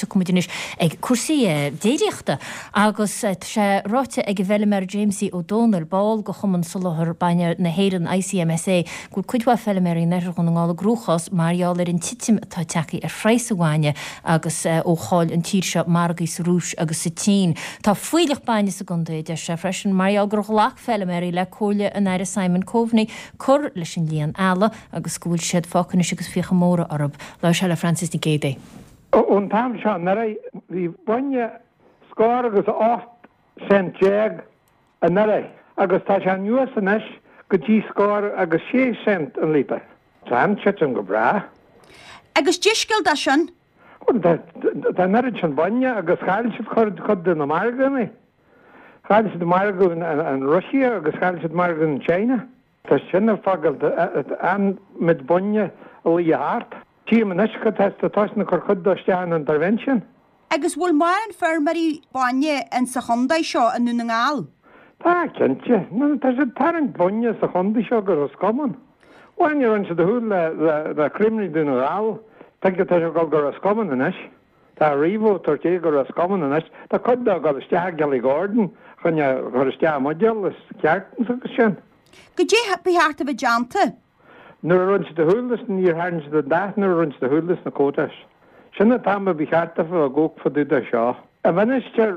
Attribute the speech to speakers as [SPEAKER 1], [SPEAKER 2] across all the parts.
[SPEAKER 1] tiocfaidh muid anois ag cúrsaí déiríochta agus tá sé ráite ag an bhfeilméara Jamesie Ó Dónaill, ball de Chumann Soláthar Bainne na hÉireann, ICMSA, go bhfuil cuid mhaith feilméaraí in oirthear Dhún na nGall i gcruachás mar gheall ar an titim atá tagtha ar phraghas an bhainne agus ó chaill an tír seo margaí sa Rúis agus sa tSín. Tá fuílleach bainne sa gcontae, a deir sé freisin, mar gheall gur ghlac feilméaraí le comhairle an Aire Simon Coveney cur leis an líon ealla agus go bhfuil siad fágtha anois agus fiacha móra orthu. Labhair sé le Frances Nic Géadaigh.
[SPEAKER 2] Ón t-am seo anuraidh bhí bainne scór agus 18 cent anuraidh agus tá sé anuas anois go dtí scór agus 6 cent an líotar. Tá an titim go breá.
[SPEAKER 3] Agus cad é scéal dó sin?
[SPEAKER 2] Bhuel tá an oiread sin bainne agus chaill siad cuid de na margaí. Chaill siad margadh an Russia agus chaill siad margadh an China. Tá sin ag fágáil an méid bainne a luí thart. Tchím anois go tá siad ag cur cuid dó isteach in intervention.
[SPEAKER 3] Agus bhfuil mórán feirmeoirí bainne in sa chontae seo i nDún na nGall?
[SPEAKER 2] Tá, cinnte. Tá siad ag tarraingt bainne sa chontae seo go Ros Comáin. Bhain a rinne siad a shúil le le Creamery Dún na nGall. Tuige tá sé ag dul go Ros Comáin anois. Tá Aurivo ag tabhairt é go Ros Comáin anois. Tá cuid dó ag dul isteach i gKillygordon chun é a chur isteach i mbuidéal is cartons agus sin.
[SPEAKER 3] Goidé ba cheart a bheith déanta?
[SPEAKER 2] Nuair a rinne siad a shúil leis níor tharraing siad an dath nuair a rinne siad a shúil leis na quotas. Sin an t-am a ba cheart daofa a bheith ag amharc fá dtaobh de seo. An minister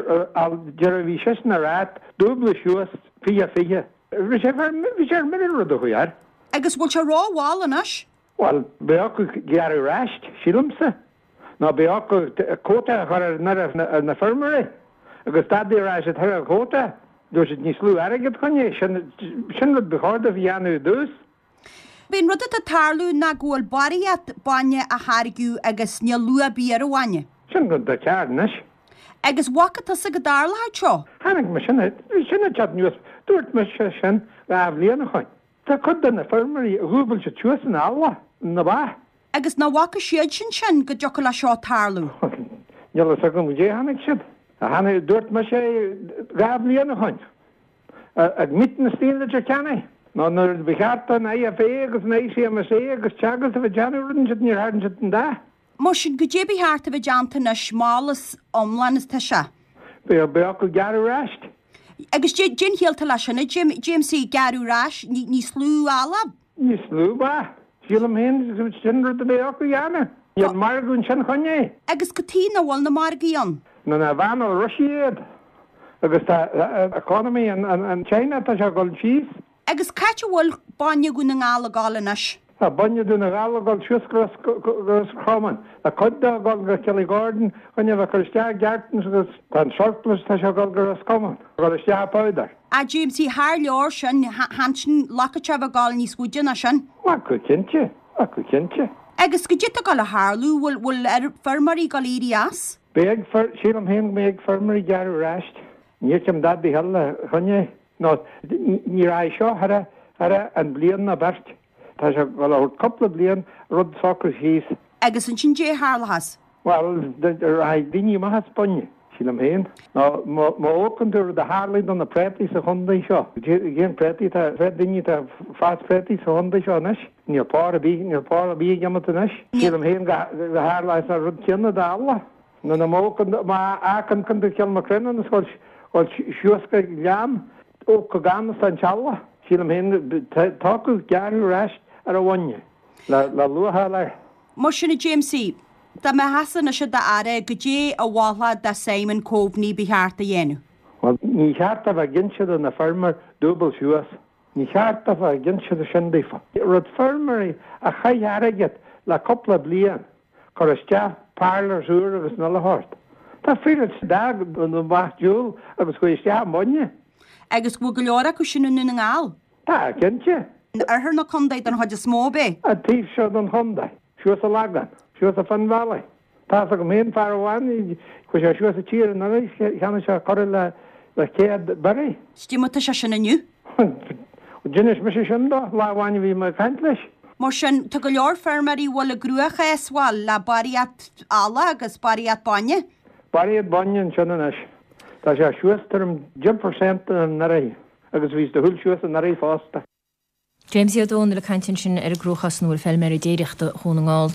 [SPEAKER 2] deireadh bhí seisean ag ráit dúbladh suas 20 20. Bhí sé bhí sé ar mire an rud a chuaigh air.
[SPEAKER 3] Agus bhfuil sé ró-mhall anois?
[SPEAKER 2] Bhuel, beidh acu gearradh ar ais, sílimse. Nó beidh acu quota a chur ar na feirmeoirí agus dadaí a rá siad thar an quota, dúirt siad níos lú airgead chun é, sin rud ba chóir dóibh a dhéanamh i dtús.
[SPEAKER 3] B'é an rud atá ag tarlú ná go bhfuil barraíocht bainne á tháirgeadh agus níl luach ar bith ar an bhainne.
[SPEAKER 2] Sin rud atá cearr anois.
[SPEAKER 3] Agus bhfaca tusa go dtarlódh seo?
[SPEAKER 2] Chonaic mé sin, bhí sin ag teacht anuas, dúirt mise sin 2 bhliain ó shoin. Tá cuid de na feirmeoirí a dhúbail siad suas an eallach, na ba.
[SPEAKER 3] Agus nach bhfaca siadsan sin go dtiocfadh le seo tarlú?
[SPEAKER 2] Níl a fhios agam goidé a chonaic siad. Chonaic, dúirt mise é 2 bhliain ó shoin, ag meeting istigh in Leitir Ceanainn, nó nuair ba cheart don IFA agus an ICMSA agus Teagasc a bheith ag déanamh rud ansiúd níor tharraing siad an dath.
[SPEAKER 3] Mar sin, goidé ba cheart a bheith déanta anois, mall is iomlán is tá sé.
[SPEAKER 2] Beidh acu gearradh ar ais.
[SPEAKER 3] Agus cén chiall atá leis sin, a Jamesie, gearradh ar ais, níos lú eallaigh?
[SPEAKER 2] Níos lú ba. Sílim féin sin rud a bheidh acu a dhéanamh. Níl margadh ansin chun é.
[SPEAKER 3] Agus cad chuige nach bhfuil na margaí ann?
[SPEAKER 2] Nó na bhannáil Russia iad. Agus tá economy an China tá sé ag dul síos.
[SPEAKER 3] Agus c'áit a bhfuil bainne Dhún na nGall ag dul anois?
[SPEAKER 2] Tá bainne Dhún na nGall ag dul suas go Ros Comáin. Tá cuid de ag dul go Killygordon chun é a bheith cur isteach i gcartons agus tá an surplus tá sé ag dul go Ros Comáin, ag dul isteach i powder.
[SPEAKER 3] A Jamesie, thar leor sin, ansin lacáid sé a bheith ag dul níos faide ná sin.
[SPEAKER 2] Go cinnte, go cinnte.
[SPEAKER 3] Agus goidé atá ag dul a tharlú, bhfuil, bhfuil feirmeoirí ag dul éirí as?
[SPEAKER 2] Beidh, sílim féin go mbeidh ag feirmeoirí gearradh ar ais. Ní fheicim dadaí eile chun é. Nó ní raghaidh seo thar thar an bliain ná beirt. Tá sé ag dul a thabhairt cúpla bliain rud socrú síos.
[SPEAKER 3] Agus ansin goidé a tharlóchas?
[SPEAKER 2] Bhuel, raghaidh daoine amach as bainne, sílim féin. Nó má amharcann tú rud a tharlaigh do na préataí sa chontae seo, cén préataí atá, cén daoine atá ag fás préataí sa chontae seo anois? Níl pór ar bith, níl pór ar bith ag imeacht anois. Sílim féin go tharlóidh an rud céanna d'eallaigh. Nó na má amharcann tú Kilmacrennan is dhul suas go Gleann ó go gan is an teallach, sílim féin, tá acu gearradh ar ais ar an bhainne le luach a fháil air.
[SPEAKER 3] Mar sin a Jamesie, dá mbeifeása anois i d'aire, goidé a mholfá do Simon Coveney ba cheart a dhéanamh?
[SPEAKER 2] Bhuel, ní cheart a bheith ag inse do na feirmeoir dúbail suas. Ní cheart a bheith ag inse sin daofa. Rud feirmeoirí a chaith airgead le cúpla bliain cur isteach parlours úr agus an uile shórt. Tá fir a d'fhág na ba diabhal agus chuaigh isteach i mbainne.
[SPEAKER 3] Agus go bhfuil go leor acu sin i nDún na nGall.
[SPEAKER 2] Tá, cinnte.
[SPEAKER 3] In oirthear na contae don chuid is mó, ab é?
[SPEAKER 2] An taobh seo den chontae. Suas i Lagan. Suas i Finn Valley. Tá's agam féin fear amháin, chuaigh sé suas an tír anuraidh, cheannaigh sé corradh le 100 bioraí.
[SPEAKER 3] Cad é mar tá sé sin inniu?
[SPEAKER 2] D'inis mise sin dó lá amháin a bhí mé ag caint leis.
[SPEAKER 3] Mar sin, tá go leor feirmeoirí a bhfuil i gcruachás, bhuel, le barraíocht eallach agus barraíocht bainne.
[SPEAKER 2] Barraíocht bainne ansin anois. Tá sé suas tuairim 10 percent anuraidh agus bhí sé ag dul suas anuraidh fosta.
[SPEAKER 1] Jamesie Ó Dónaill ag caint ansin ar an gcruachás ina bhfuil feilméaraí déiríochta Dhún na nGall.